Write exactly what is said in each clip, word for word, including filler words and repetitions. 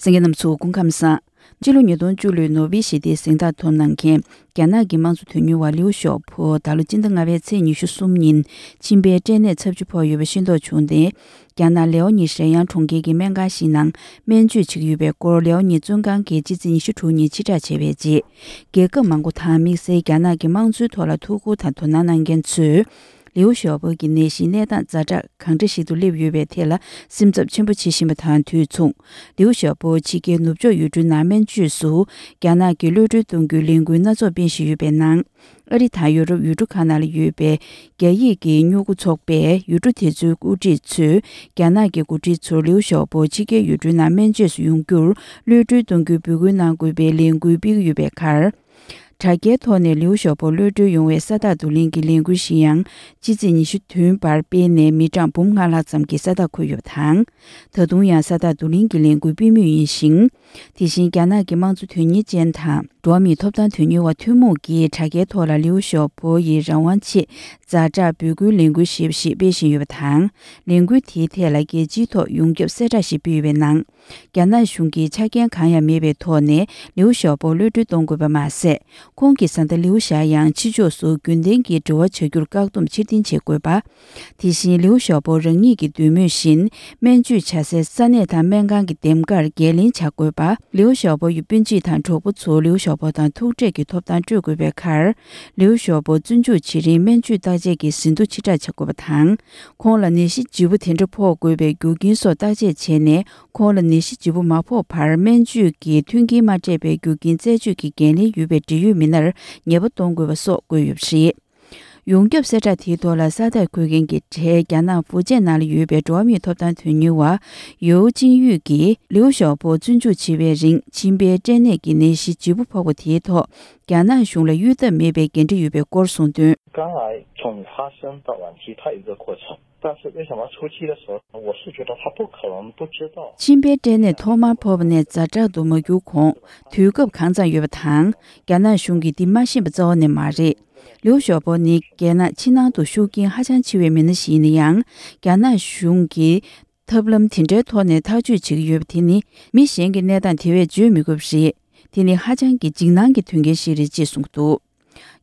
གསན་མཁན་རྣམ་ཚོ་སྐུ་ཁམས་བཟང་། ཕྱི་ལོ་ཉིས་སྟོང་བཅུ་ལོའི་ནོ་བྷེལ་ཞི་བདེའི་གཟེངས་རྟགས་ཐོབ་གནང་མཁན་རྒྱ་ནག་གི་དམངས་གཙོ་དོན་གཉེར་བ་ལིའུ་ཞའོ་པོ་ད་ལོ་སྤྱི་ཟླ་ལྔ་པའི་ཚེས་ཉི་ཤུ་གསུམ་ཉིན་མཆིན་པའི་སྐྲན་ནད་ཚབས་ཆེ་ཕོག་ཡོད་པ་ཤེས་རྟོགས་བྱུང་སྟེ། རྒྱ་ནག་ལེའོ་ནི་ཧྲེན་དབྱང་གྲོང་ཁྱེར་གྱི་སྨན་ཁང་ཞིག་ནང་སྨན་བཅོས་བྱེད་ཀྱི་ཡོད་པའི་སྐོར་ལེའོ་ནི་བཙོན་ཁང་གིས་སྤྱི་ཚེས་ཉི་ཤུ་དྲུག་ཉིན་ཕྱིར་བསྒྲགས་བྱས་པའི་རྗེས། རྒྱལ་ཁབ་མང་པོ་དང་དམིགས་བསལ་རྒྱ་ནག་གི་དམངས་གཙོའི་ཐོག་ལ་ཐུགས་ཁུར་དང་དོ་སྣང་གནང་མཁན་ཚོས། ལིའུ་ཞའོ་པོ་གི་ནད་གཞིའི་གནས་སྟངས་ཛ་དྲག་གང་འདྲ་ཞིག་ཏུ་སླེབས་ཡོད་པའི་ཐད་ལ་སེམས་འཚབ་ཆེན་པོ་བྱེད་བཞིན་པ་དང་དུས་མཚུངས། ལིའུ་ཞའོ་པོ་ཕྱི་རྒྱལ་ནུབ་ཕྱོགས་ཡུལ་གྲུའི་ནང་སྨན་བཅོས་སུ་རྒྱ་ནག་གིས་གློད་གྲོལ་གཏོང་རྒྱུའི་ལས་འགུལ་སྣ་ཚོགས་སྤེལ་བཞིན་ཡོད་པའི་ནང་། ཨ་རི་དང་ཡོ་རོབ་ཡུལ་གྲུ་ཁག་ནང་ལ་ཡོད་པའི་རྒྱ་ཡིག་གི་སྨྱུ་གུ་ཚོགས་པས་ཡུལ་གྲུ་དེ་ཚོའི་འགོ་ཁྲིད་ཚོས་རྒྱ་ནག་གི་འགོ་ཁྲིད་ཚོར་ལིའུ་ཞའོ་པོ་ཕྱི་རྒྱལ་ཡུལ་གྲུའི་ནང་སྨན་བཅོས་སུ་ཡོང་རྒྱུར་གློད་གྲོལ་གཏོང་རྒྱུའི་འབོད་སྐུལ་གནང་དགོས་པའི་ལས་འགུལ་སྤེལ་གྱི་ཡོད་པའི་ཁར། དྲ་རྒྱའི་ཐོག་ནས་ལིའུ་ཞའོ་པོ་གློད་གྲོལ་ཡོང་བའི་ས་རྟགས་བསྡུ་ལེན་གྱི་ལས་འགུལ་ཞིག་ཡང་སྤྱི་ཚེས་ཉི་ཤུ་བདུན་བར་སྤེལ་ནས་མི་གྲངས་འབུམ་ལྔ་ལྷག་ཙམ་གྱིས་ས་རྟགས་འཁོད་ཡོད་པ་དང་། ད་དུང་ཡང་ས་རྟགས་བསྡུ་ལེན་གྱི་ལས་འགུལ་སྤེལ་མུས་ཡིན་ཞིང་། དེ་བཞིན་རྒྱ་ནག་གི་དམངས་གཙོ་དོན་གཉེར་ཅན་དང་འགྲོ་བ་མིའི་ཐོབ་ཐང་དོན་གཉེར་བ་ཐུན་མོང་གིས་དྲ་རྒྱའི་ཐོག་ལ་ལིའུ་ཞའོ་པོ་ཡི་རང་དབང་ཆེད་ཛ་དྲག་འབོད་སྐུལ་ལས་འགུལ་ཞེས་པ་ཞིག་སྤེལ་བཞིན་ཡོད་པ་དང་། ལས་འགུལ་དེའི་ཐད་ལ་རྒྱལ་སྤྱིའི་ཐོག་ཡོངས་ཁྱབ་གསལ་བསྒྲགས་ཤིག་སྤེལ་ཡོད་པའི་ནང་། རྒྱ་ནག་གཞུང་གིས་ཆ་རྐྱེན་གང་ཡང་མེད་པའི་ཐོག་ནས་ལིའུ་ཞའོ་པོ་གློད་གྲོལ་གཏོང་དགོས་པ་མ་ཟད། ཁོང་གི་བཟའ་ཟླ་ལིའུ་ཞའ་ཡང་ཕྱི་ཕྱོགས་སུ་རྒྱུན་ལྡན་གྱི་འབྲེལ་བ་བྱ་རྒྱུར་བཀག་སྡོམ་ཕྱིར་འཐེན་བྱེད་དགོས་པ། དེ་བཞིན་ལིའུ་ཞའོ་པོ་རང་ཉིད་ཀྱི་འདོད་མོས་བཞིན་སྨན་བཅོས་བྱ་སའི་ས་གནས་དང་སྨན་ཁང་གི་འདེམས་ཀར་འགན་ལེན་བྱ་དགོས་པ། ལིའུ་ཞའོ་པོ་ཡི་སྤུན་མཆེད་དང་གྲོགས་པོ་ཚོ་ལིའུ་ཞའོ་པོ་དང་ཐུག་འཕྲད་ཀྱི་ཐོབ་ཐང་སྤྲོད་དགོས་པའི་ཁར། ལིའུ་ཞའོ་པོ་བཙོན་འཇུག་བྱེད་རིང་སྨན་བཅོས་བརྟག་དཔྱད་ཀྱི་ཟིན་ཐོ་ཕྱིར་བསྒྲགས་བྱ་དགོས་པ་དང་། ཁོང་ལ་ནད་གཞི་ལྗིད་པོ་དེ་འདྲ་ཕོག་དགོས་པའི་རྒྱུ་རྐྱེན་སོགས་བརྟག་དཔྱད་བྱས་ནས། ཁོང་ལ་ནད་གཞི་ལྗིད་པོ་མ་ཕོག་བར་སྨན་བཅོས་ཀྱི་མཐུན་རྐྱེན་མ་སྤྲད་པའི་རྒྱུ་རྐྱེན་རྩད་གཅོད་ཀྱི་འགན་ལེན་ཡོད་པའི་འབྲེལ་ཡོད་མི་སྣར་ཉེས་པ་གཏོང་དགོས་པ་སོགས་བཀོད་ཡོད་པ་རེད། ཡོངས་ཁྱབ་གསལ་བསྒྲགས་དེའི་ཐོག་ལ་ས་རྟགས་འཁོད་མཁན་གྱི་གྲས་རྒྱ་ནག་ཧྥུ་ཅན་ནང་ལ་ཡོད་པའི་འགྲོ་བ་མིའི་ཐོབ་ཐང་དོན་གཉེར་བ་ཡོའུ་ཅིན་ཡུས་ཀྱིས་ལིའུ་ཞའོ་པོ་བཙོན་འཇུག་བྱེད་པའི་རིང་མཆིན་པའི་སྐྲན་ནད་ཀྱི་ནད་གཞི་ལྗིད་པོ་ཕོག་པ་དེའི་ཐོག་རྒྱ་ནག་གཞུང་ལ་གཡོལ་ཐབས་མེད་པའི་འགན་འཁྲི་ཡོད་པའི་སྐོར་གསུངས་དོན། 肝癌从发生到晚期，它有一个过程，但是为什么初期的时候，我是觉得他不可能不知道。 མཆིན་པའི་སྐྲན་ནད་ཐོག་མར་ཕོག་པ་ནས་ཛ་དྲག་ཏུ་མ་གྱུར་གོང་དུས་སྐབས་གང་ཙམ་ཡོད་པ་དང་། རྒྱ་ནག་གཞུང་གིས་འདི་མ་ཤེས་པ་རྩ་བ་ནས་མ་རེད། ལིའུ་ཞའོ་པོ་ནི་རྒྱལ་ནག་ཕྱི་ནང་དུ་ཤུགས་རྐྱེན་ཧ་ཅང་ཆེ་བའི་མི་སྣ་ཞིག་ཡིན་ན་ཡང་། རྒྱ་ནག་གཞུང་གིས་ཐབས་ལམ་དེ་འདྲའི་ཐོག་ནས་ཐག་གཅོད་བྱེད་ཀྱི་ཡོད་པ་དེ་ནི་མི་གཞན་གྱི་གནས་སྟངས་དེ་བས་བརྗོད་མི་དགོས་པ་རེད། དེ་ནི་ཧ་ཅང་གི་འཇིགས་སྣང་གི་དོན་རྐྱེན་ཞིག་རེད་ཅེས་གསུངས་འདུག་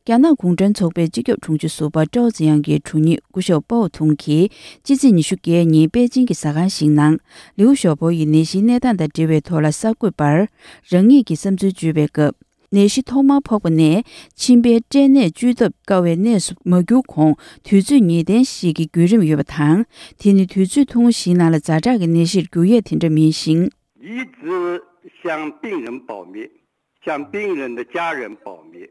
རྒྱ་ནག་གུང་ཁྲན་ཚོགས་པའི་སྤྱི་ཁྱབ་དྲུང་ཆེ་ཟུར་པ་ཀྲའོ་ཙེ་དབྱང་གི་དྲུང་ཡིག་སྐུ་ཞབས་པའོ་ཐུང་གིས་སྤྱི་ཚེས་ཉི་ཤུ་བརྒྱད་ཉིན་པེ་ཅིང་གི་ཟ་ཁང་ཞིག་ནང་ལིའུ་ཞའོ་པོ་ཡི་ནད་གཞིའི་གནས་སྟངས་དང་འབྲེལ་བའི་ཐོག་ལ་གསར་འགོད་པར་རང་ཉིད་ཀྱི་བསམ་ཚུལ་བརྗོད་པའི་སྐབས། ནད་གཞི་ཐོག་མར་ཕོག་པ་ནས་མཆིན་པའི་སྐྲན་ནད་བཅོས་ཐབས་དཀའ་བའི་གནས་སུ་མ་གྱུར་གོང་དུས་ཚོད་ངེས་གཏན་ཞིག་གི་བརྒྱུད་རིམ་ཡོད་པ་དང་། དེ་ནི་དུས་ཚོད་ཐུང་ངུ་ཞིག་ནང་ལ་ཛ་དྲག་གི་ནད་གཞིར་འགྱུར་ཡས་དེ་འདྲ་མིན་ཞིང་། 一直向病人保密，向病人的家人保密，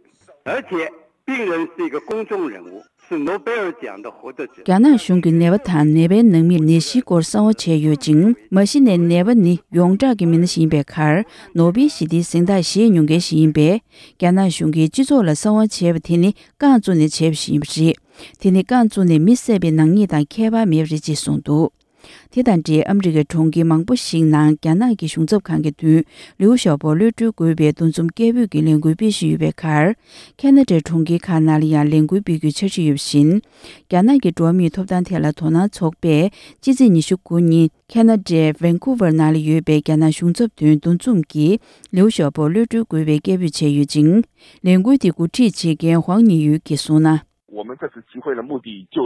而且病人是一个公众人物，是诺贝尔奖的获得者。 རྒྱ་ནག་གཞུང་གིས་ནད་པ་དང་ནད་པའི་ནང་མིར་ནད་གཞིའི་སྐོར་གསང་བ་བྱས་ཡོད་ཅིང་། མ་གཞི་ནས་ནད་པ་ནི་ཡོངས་གྲགས་ཀྱི་མི་སྣ་ཞིག་ཡིན་པའི་ཁར། ནོ་བེལ་ཞི་བདེའི་གཟེངས་རྟགས་བཞེས་མྱོང་མཁན་ཞིག་ཡིན་པས། རྒྱ་ནག་གཞུང་གིས་སྤྱི་ཚོགས་ལ་གསང་བ་བྱས་པ་དེ་ནི་རྐང་བཙུགས་ནས་བྱས་པ་ཞིག་ཡིན་པ་རེད། དེ་ནི་རྐང་བཙུགས་ནས་མི་བསད་པའི་ནག་ཉེས་དང་ཁྱད་པར་མེད་པ་རེད་ཅེས་གསུངས་འདུག་དེ་དང་འབྲེལ་ཨ་མི་རི་ཀའི་གྲོང་ཁྱེར་མང་པོ་ཞིག་ནང་རྒྱ་ནག་གི་གཞུང་ཚབ་ཁང་གི་མདུན་ལིའུ་ཞའོ་པོ་གློད་གྲོལ་དགོས་པའི་འདུ་འཛོམས་སྐད་འབོད་ཀྱི་ལས་འགུལ་སྤེལ་བཞིན་ཡོད་པའི་ཁར། ཁ་ན་ཌའི་གྲོང་ཁྱེར་ཁག་ནང་ལ་ཡང་ལས་འགུལ་སྤེལ་རྒྱུའི་འཆར་གཞི་ཡོད་པ་བཞིན། རྒྱ་ནག་གི་འགྲོ་བ་མིའི་ཐོབ་ཐང་ཐད་ལ་དོ་སྣང་ཚོགས་པས་སྤྱི་ཚེས་ཉི་ཤུ་དགུ་ཉིན་ཁ་ན་ཌའི་ཝན་ཀུ་ཝར་ནང་ལ་ཡོད་པའི་རྒྱ་ནག་གཞུང་ཚབ་མདུན་འདུ་འཛོམས་ཀྱིས་ལིའུ་ཞའོ་པོ་གློད་གྲོལ་དགོས་པའི་སྐད་འབོད་བྱས་ཡོད་ཅིང་། ལས་འགུལ་དེ་འགོ་ཁྲིད་བྱེད་མཁན་ཧུའང་ཉི་ཡུས་ཀྱིས་གསུངས་ན། 我们这次集会的目的就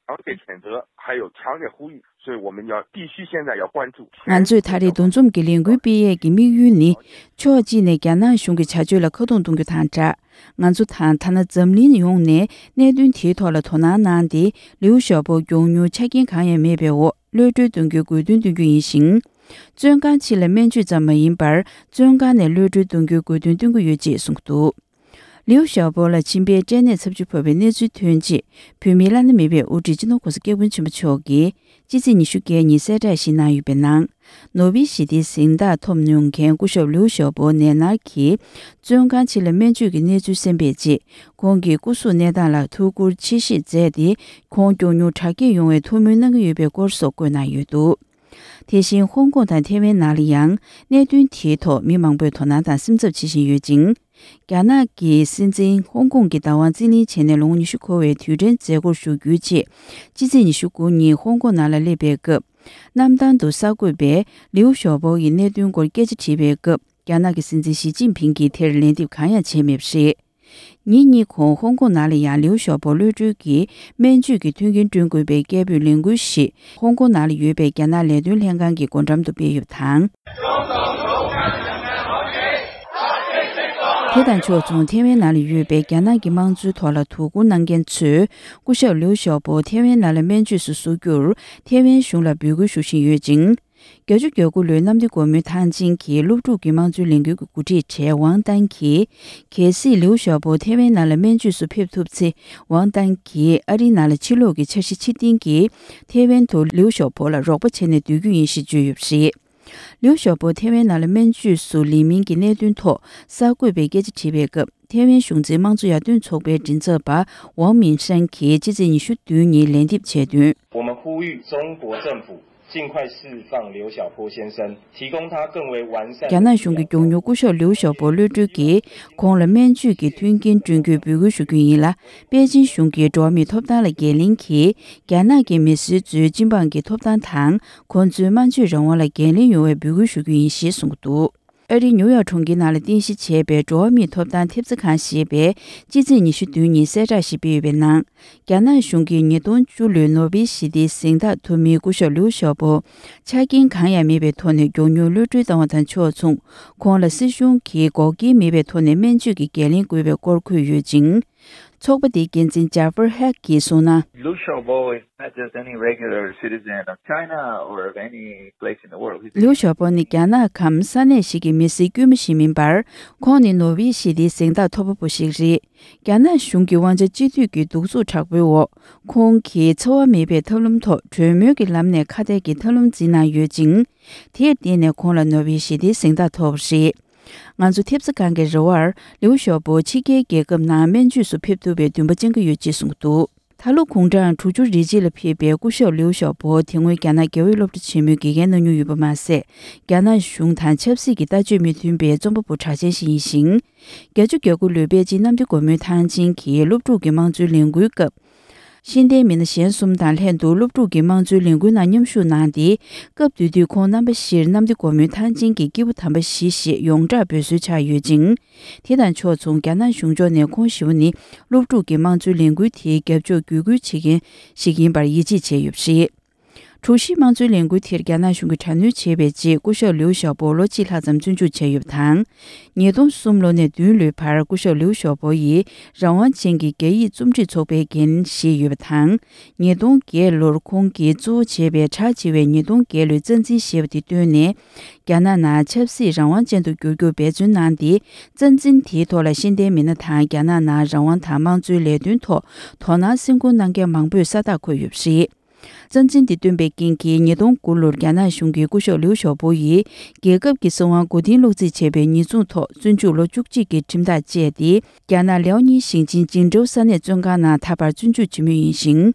强烈谴责，还有强烈呼吁，所以我们要必须现在要关注。 ང་ཚོས་ད་རེས་འདུ་འཛོམས་ཀྱི་ལས་འགུལ་སྤེལ་ཡས་ཀྱི་དམིགས་ཡུལ་ནི། ཕྱོགས་གཅིག་ནས་རྒྱ་ནག་གཞུང་གི་བྱ་སྤྱོད་ལ་ཁ་རྡུང་གཏོང་རྒྱུ་དང་སྦྲགས། ང་ཚོ་དང་ཐ་ན་འཛམ་གླིང་ཡོངས་ནས་གནད་དོན་དེའི་ཐོག་ལ་དོ་སྣང་གནང་སྟེ། ལིའུ་ཞའོ་པོ་མགྱོགས་མྱུར་ཆ་རྐྱེན་གང་ཡང་མེད་པའི་འོག་གློད་གྲོལ་གཏོང་རྒྱུའི་དགོས་འདུན་བཏོན་རྒྱུ་ཡིན་ཞིང་། བཙོན་ཁང་ཕྱི་ལ་སྨན་བཅོས་ཙམ་མ་ཡིན་པར། བཙོན་ཁང་ནས་གློད་གྲོལ་གཏོང་རྒྱུའི་དགོས་འདུན་བཏོན་གྱི་ཡོད་ཅེས་གསུངས་འདུག་ལིའུ་ཞའོ་པོ་ལ་མཆིན་པའི་སྐྲན་ནད་ཚབས་ཆེ་ཕོག་པའི་གནས་ཚུལ་ཐོན་རྗེས། བོད་མིའི་བླ་ན་མེད་པའི་དབུ་ཁྲིད་སྤྱི་ནོར་གོང་ས་སྐྱབས་མགོན་ཆེན་པོ་མཆོག་གིས་སྤྱི་ཚེས་ཉི་ཤུ་བརྒྱད་ཉིན་གསལ་བསྒྲགས་ཤིག་གནང་ཡོད་པའི་ནང་། ནོ་བེལ་ཞི་བདེའི་གཟེངས་རྟགས་ཐོབ་མྱོང་མཁན་སྐུ་ཞབས་ལིའུ་ཞའོ་པོ་ནད་མནར་གྱིས་བཙོན་ཁང་ཕྱི་ལ་སྨན་བཅོས་ཀྱི་གནས་ཚུལ་གསན་པའི་རྗེས། ཁོང་གི་སྐུ་གཟུགས་གནས་སྟངས་ལ་ཐུགས་ཁུར་ཆེ་བཞེས་མཛད་དེ། ཁོང་མགྱོགས་མྱུར་དྲག་སྐྱེད་ཡོང་བའི་ཐུགས་སྨོན་གནང་གི་ཡོད་པའི་སྐོར་སོགས་བཀོད་གནང་ཡོད་འདུག་དེ་བཞིན་ཧོང་ཀོང་དང་ཐེ་ཝན་ནང་ལ་ཡང་གནད་དོན་དེའི་ཐོག་མི་མང་པོས་དོ་སྣང་དང་སེམས་འཚབ་བྱེད་བཞིན་ཡོད་ཅིང་། རྒྱ་ནག་གི་སྲིད་འཛིན་ཧོང་ཀོང་གི་བདག་དབང་རྩིས་ལེན་བྱས་ནས་ལོ་ངོ་ཉི་ཤུ་འཁོར་བའི་དུས་དྲན་མཛད་སྒོར་ཞུགས་རྒྱུའི་ཆེད། སྤྱི་ཚེས་ཉི་ཤུ་དགུ་ཉིན་ཧོང་ཀོང་ནང་ལ་སླེབས་པའི་སྐབས། གནམ་ཐང་དུ་གསར་འགོད་པས་ལིའུ་ཞའོ་པོ་ཡི་གནད་དོན་སྐོར་སྐད་ཆ་དྲིས་པའི་སྐབས། རྒྱ་ནག་གི་སྲིད་འཛིན་ཞི་ཅིན་ཕིང་གིས་དེར་ལན་འདེབས་གང་ཡང་བྱས་མེད་པ་རེད། ཉིན་གཉིས་གོང་ཧོང་ཀོང་ནང་ལ་ཡང་ལིའུ་ཞའོ་པོ་གློད་གྲོལ་གྱིས་སྨན་བཅོས་ཀྱི་མཐུན་རྐྱེན་བསྐྲུན་དགོས་པའི་སྐད་འབོད་ལས་འགུལ་ཞིག་ཧོང་ཀོང་ནང་ལ་ཡོད་པའི་རྒྱ་ནག་ལས་དོན་ལྷན་ཁང་གི་སྒོ་འགྲམ་དུ་སྤེལ་ཡོད་པ་དང་། དེ་དང་ཕྱོགས་མཚུངས། ཐེ་ཝན་ནང་ལ་ཡོད་པའི་རྒྱ་ནག་གི་དམངས་གཙོའི་ཐོག་ལ་དོ་ཁུར་གནང་མཁན་ཚོས། སྐུ་ཞབས་ལིའུ་ཞའོ་པོ་ཐེ་ཝན་ནང་ལ་སྨན་བཅོས་སུ་བསུ་རྒྱུར། ཐེ་ཝན་གཞུང་ལ་འབོད་སྐུལ་ཞུ་བཞིན་ཡོད་ཅིང་། བརྒྱད་ཅུ་གྱ་དགུ་ལོའི་གནམ་བདེ་སྒོ་མོའི་ཐང་ཆེན་གྱི་སློབ་ཕྲུག་གི་དམངས་གཙོའི་ལས་འགུལ་གྱི་འགོ་ཁྲིད་གྲས་ཝང་ཏན་གྱིས། གལ་སྲིད་ལིའུ་ཞའོ་པོ་ཐེ་ཝན་ནང་ལ་སྨན་བཅོས་སུ་ཕེབས་ཐུབ་ཚེ། ཝང་ཏན་གྱིས་ཨ་རིའི་ནང་ལ་ཕྱིར་ལོག་གི་འཆར་གཞི་ཕྱིར་འཐེན་གྱིས། ཐེ་ཝན་དུ་ལིའུ་ཞའོ་པོ་ལ་རོགས་པ་བྱས་ནས་སྡོད་རྒྱུ་ཡིན་ཞེས་བརྗོད་ཡོད་པ་རེད། ལིའུ་ཞའོ་པོ་ཐེ་ཝན་ནང་ལ་སྨན་བཅོས་སུ་ལེན་མིན་གྱི་གནད་དོན་ཐོག་གསར་འགོད་པས་སྐད་ཆ་དྲིས་པའི་སྐབས། ཐེ་ཝན་གཞུང་འཛིན་དམངས་གཙོ་ཡར་ཐོན་ཚོགས་པའི་མགྲིན་ཚབ་པ་ཝང་མིན་ཧྲན་གྱིས་ཕྱི་ཚེས་ཉི་ཤུ་བདུན་ཉིན་ལན་འདེབས་བྱས་དོན། 我们呼吁中国政府尽快释放刘晓波先生，提供他更为完善的 རྒྱ་ནག་གཞུང་གིས་མགྱོགས་མྱུར་སྐུ་ཞབས་ལིའུ་ཞའོ་པོ་གློད་གྲོལ་གྱིས་ཁོང་ལ་སྨན་བཅོས་ཀྱི་མཐུན་རྐྱེན་བསྐྲུན་རྒྱུའི་འབོད་སྐུལ་ཞུ་རྒྱུ་ཡིན་ལ། པེ་ཅིན་གཞུང་གིས་འགྲོ་བ་མིའི་ཐོབ་ཐང་ལ་འགན་ལེན་གྱིས། རྒྱ་ནག་གི་མི་སེར་ཚོའི་སྤྱི་འབངས་ཀྱི་ཐོབ་ཐང་དང་། ཁོང་ཚོའི་སྨན་བཅོས་རང་དབང་ལ་འགན་ལེན་ཡོང་བའི་འབོད་སྐུལ་ཞུ་རྒྱུ་ཡིན་ཞེས་གསུངས་འདུག་ཨ་རིའི་ཉིའུ་ཡོག་གྲོང་ཁྱེར་ནང་ལ་རྟེན་གཞི་བྱས་པའི་འགྲོ་བ་མིའི་ཐོབ་ཐང་ཐེབས་རྩ་ཁང་ཞེས་པས་ཕྱི་ཚེས་ཉི་ཤུ་བདུན་ཉིན་གསལ་བསྒྲགས་ཤིག་སྤེལ་ཡོད་པའི་ནང་། རྒྱ་ནག་གཞུང་གིས་ཉིས་སྟོང་བཅུ་ལོའི་ནོ་བེལ་ཞི་བདེའི་གཟེངས་རྟགས་ཐོབ་མི་སྐུ་ཞབས་ལིའུ་ཞའོ་པོ། ཆ་རྐྱེན་གང་ཡང་མེད་པའི་ཐོག་ནས་མགྱོགས་མྱུར་གློད་གྲོལ་བཏང་བ་དང་ཕྱོགས་མཚུངས། ཁོང་ལ་སྲིད་གཞུང་གིས་འགོག་རྐྱེན་མེད་པའི་ཐོག་ནས་སྨན་བཅོས་ཀྱི་འགན་ལེན་དགོས་པའི་སྐོར་འཁོད་ཡོད་ཅིང་། ཚོགས་པ་དེའི་འགན་འཛིན་ཇཱ་ཧྥར་ཧེག་གིས་གསུངས་ན། Liu Xiaobo is not just any regular citizen of China or of any place in the world. He's a ལིའུ་ཞའོ་པོ་ནི་རྒྱ་ནག་གམ་ས་གནས་ཤིག་གི་མི་སེར་དཀྱུས་མ་ཞིག་མིན་པར། ཁོང་ནི་ནོ་བེལ་ཞི་བདེའི་གཟེངས་རྟགས་ཐོབ་པ་པོ་ཞིག་རེད། རྒྱ་ནག་གཞུང་གི་དབང་ཆ་གཅིག་སྡུད་ཀྱི་གདུག་རྩུབ་དྲག་པོའི་འོག་ཁོང་གིས་འཚེ་བ་མེད་པའི་ཐབས་ལམ་ཐོག་གྲོས་མོལ་གྱི་ལམ་ནས་ཁ་གཏད་ཀྱི་ཐབས་ལམ་འཛིན་གནང་ཡོད་ཅིང་། དེར་བརྟེན་ནས་ཁོང་ལ་ནོ་བེལ་ཞི་བདེའི་གཟེངས་རྟགས་ཐོབ་པ་རེད། ང་ཚོ་ཐེབས་རྩ་ཁང་གི་རེ་བར། ལིའུ་ཞའོ་པོ་ཕྱི་རྒྱལ་རྒྱལ་ཁབ་ནང་སྨན་བཅོས་སུ་ཕེབས་ཐུབ་པའི་འདུན་པ་བཅངས་ཀྱི་ཡོད་ཅེས་གསུངས་འདུག་ད་ལོ་དགུང་གྲངས་དྲུག་ཅུ་རེ་གཅིག་ལ་ཕེབས་པའི་སྐུ་ཞབས་ལིའུ་ཞའོ་པོ་དེ་སྔོན་རྒྱ་ནག་རྒྱལ་བའི་སློབ་གྲྭ་ཆེན་མོའི་དགེ་རྒན་གནང་མྱོང་ཡོད་པ་མ་ཟད། རྒྱ་ནག་གཞུང་དང་ཆབ་སྲིད་ཀྱི་ལྟ་སྤྱོད་མི་མཐུན་པའི་རྩོམ་པ་པོ་གྲགས་ཅན་ཞིག་ཡིན་ཞིང་། བརྒྱད་ཅུ་གྱ་དགུ་ལོའི་པེ་ཅིན་གནམ་བདེ་སྒོ་མོའི་ཐང་ཆེན་གྱི་སློབ་ཕྲུག་གི་དམངས་གཙོའི་ལས་འགུལ་སྐབས། ཤེས་ལྡན་མི་སྣ་གཞན་གསུམ་དང་ལྷན་དུ་སློབ་ཕྲུག་གི་དམངས་གཙོའི་ལས་འགུལ་ནང་མཉམ་ཞུགས་གནང་སྟེ། སྐབས་དེ་དུས་ཁོང་རྣམ་པ་བཞིར་གནམ་བདེ་སྒོ་མོའི་ཐང་ཆེན་གྱི་སྐྱེས་བུ་དམ་པ་བཞི་ཞེས་ཡོངས་གྲགས་འབོད་སྲོལ་ཆགས་ཡོད་ཅིང་། དེ་དང་ཕྱོགས་མཚུངས། རྒྱ་ནག་གཞུང་ཕྱོགས་ནས་ཁོང་བཞི་བོ་ནི་སློབ་ཕྲུག་གི་དམངས་གཙོའི་ལས་འགུལ་དེའི་རྒྱབ་ཕྱོགས་བརྒྱུད་སྐུལ་བྱེད་མཁན་ཞིག་ཡིན་པར་ཡིད་ཆེས་བྱས་ཡོད་པ་རེད། དྲུག་བཞིའི་དམངས་གཙོའི་ལས་འགུལ་དེར་རྒྱ་ནག་གཞུང་གིས་དྲག་གནོན་བྱས་པའི་རྗེས། སྐུ་ཞབས་ལིའུ་ཞའོ་པོ་ལོ་གཅིག་ལྷག་ཙམ་བཙོན་འཇུག་བྱས་ཡོད་པ་དང་། ཉིས་སྟོང་གསུམ་ལོ་ནས་བདུན་ལོའི་བར་སྐུ་ཞབས་ལིའུ་ཞའོ་པོ་ཡིས་རང་དབང་ཅན་གྱི་རྒྱ་ཡིག་རྩོམ་སྒྲིག་ཚོགས་པའི་འགན་བཞེས་ཡོད་པ་དང་། ཉིས་སྟོང་བརྒྱད་ལོར་ཁོང་གིས་གཙོ་བོ་བྱས་པའི་གྲགས་ཆེ་བའི་ཉིས་སྟོང་བརྒྱད་ལོའི་རྩ་འཛིན་ཞེས་པ་དེ་བཏོན་ནས། རྒྱ་ནག་ནང་ཆབ་སྲིད་རང་དབང་ཅན་དུ་འགྱུར་རྒྱུར་འབད་བརྩོན་གནང་སྟེ། རྩ་འཛིན་དེའི་ཐོག་ལ་ཤེས་ལྡན་མི་སྣ་དང་རྒྱ་ནག་ནང་རང་དབང་དང་དམངས་གཙོའི་ལས་དོན་ཐོག་དོ་སྣང་སེམས་ཁུར་གནང་མཁན་མང་པོས་ས་རྟགས་འཁོད་ཡོད་པ་རེད། རྩ་འཛིན་འདི་བཏོན་པའི་རྐྱེན་གྱིས། ཉིས་སྟོང་དགུ་ལོར་རྒྱ་ནག་གཞུང་གིས་སྐུ་ཞབས་ལིའུ་ཞའོ་པོ་ཡིས་རྒྱལ་ཁབ་ཀྱི་སྲིད་དབང་མགོ་རྟིང་སློག་རྩིས་བྱས་པའི་ཉེས་འཛུགས་ཐོག་བཙོན་འཇུག་ལོ་བཅུ་གཅིག་གི་ཁྲིམས་ཐག་བཅད་དེ། རྒྱ་ནག་ལེའོ་ཉིང་ཞིང་ཆེན་ཅིང་ཀྲོའུ་ས་གནས་བཙོན་ཁང་ནང་ད་བར་བཙོན་འཇུག་བྱེད་མུས་ཡིན་ཞིང་།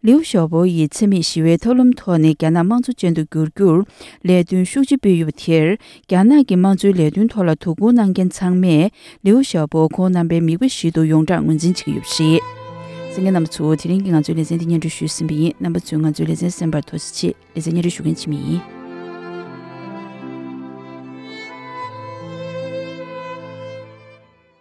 ལིའུ་ཞའོ་པོ་ཡིས་འཚེ་མེད་ཞི་བའི་ཐབས་ལམ་ཐོག་ནས་རྒྱ་ནག་དམངས་གཙོ་ཅན་དུ་འགྱུར་རྒྱུར་ལས་དོན་ཤུགས་ཆེ་སྤེལ་ཡོད་པ་དེར། རྒྱ་ནག་གི་དམངས་གཙོའི་ལས་དོན་ཐོག་ལ་དོ་ཁུར་གནང་མཁན་ཚང་མས། ལིའུ་ཞའོ་པོ་ཁོང་རྣམ་པའི་མིག་དཔེ་ཞིག་ཏུ་ཡོངས་གྲགས་ངོས་འཛིན་བྱེད་ཀྱི་ཡོད་པ་རེད། གསན་མཁན་རྣམ་པ་ཚོ། དེ་རིང་གི་ང་ཚོའི་ལེ་ཚན་འདི་སྙན་སྒྲོན་ཞུས་ཟིན་པ་ཡིན། རྣམ་པ་ཚོས་ང་ཚོའི་ལེ་ཚན་གསན་པར་ཐུགས་རྗེ་ཆེ། ལེ་ཚན་སྙན་སྒྲོན་ཞུ་མཁན་འཆི་མེད་ཡིན།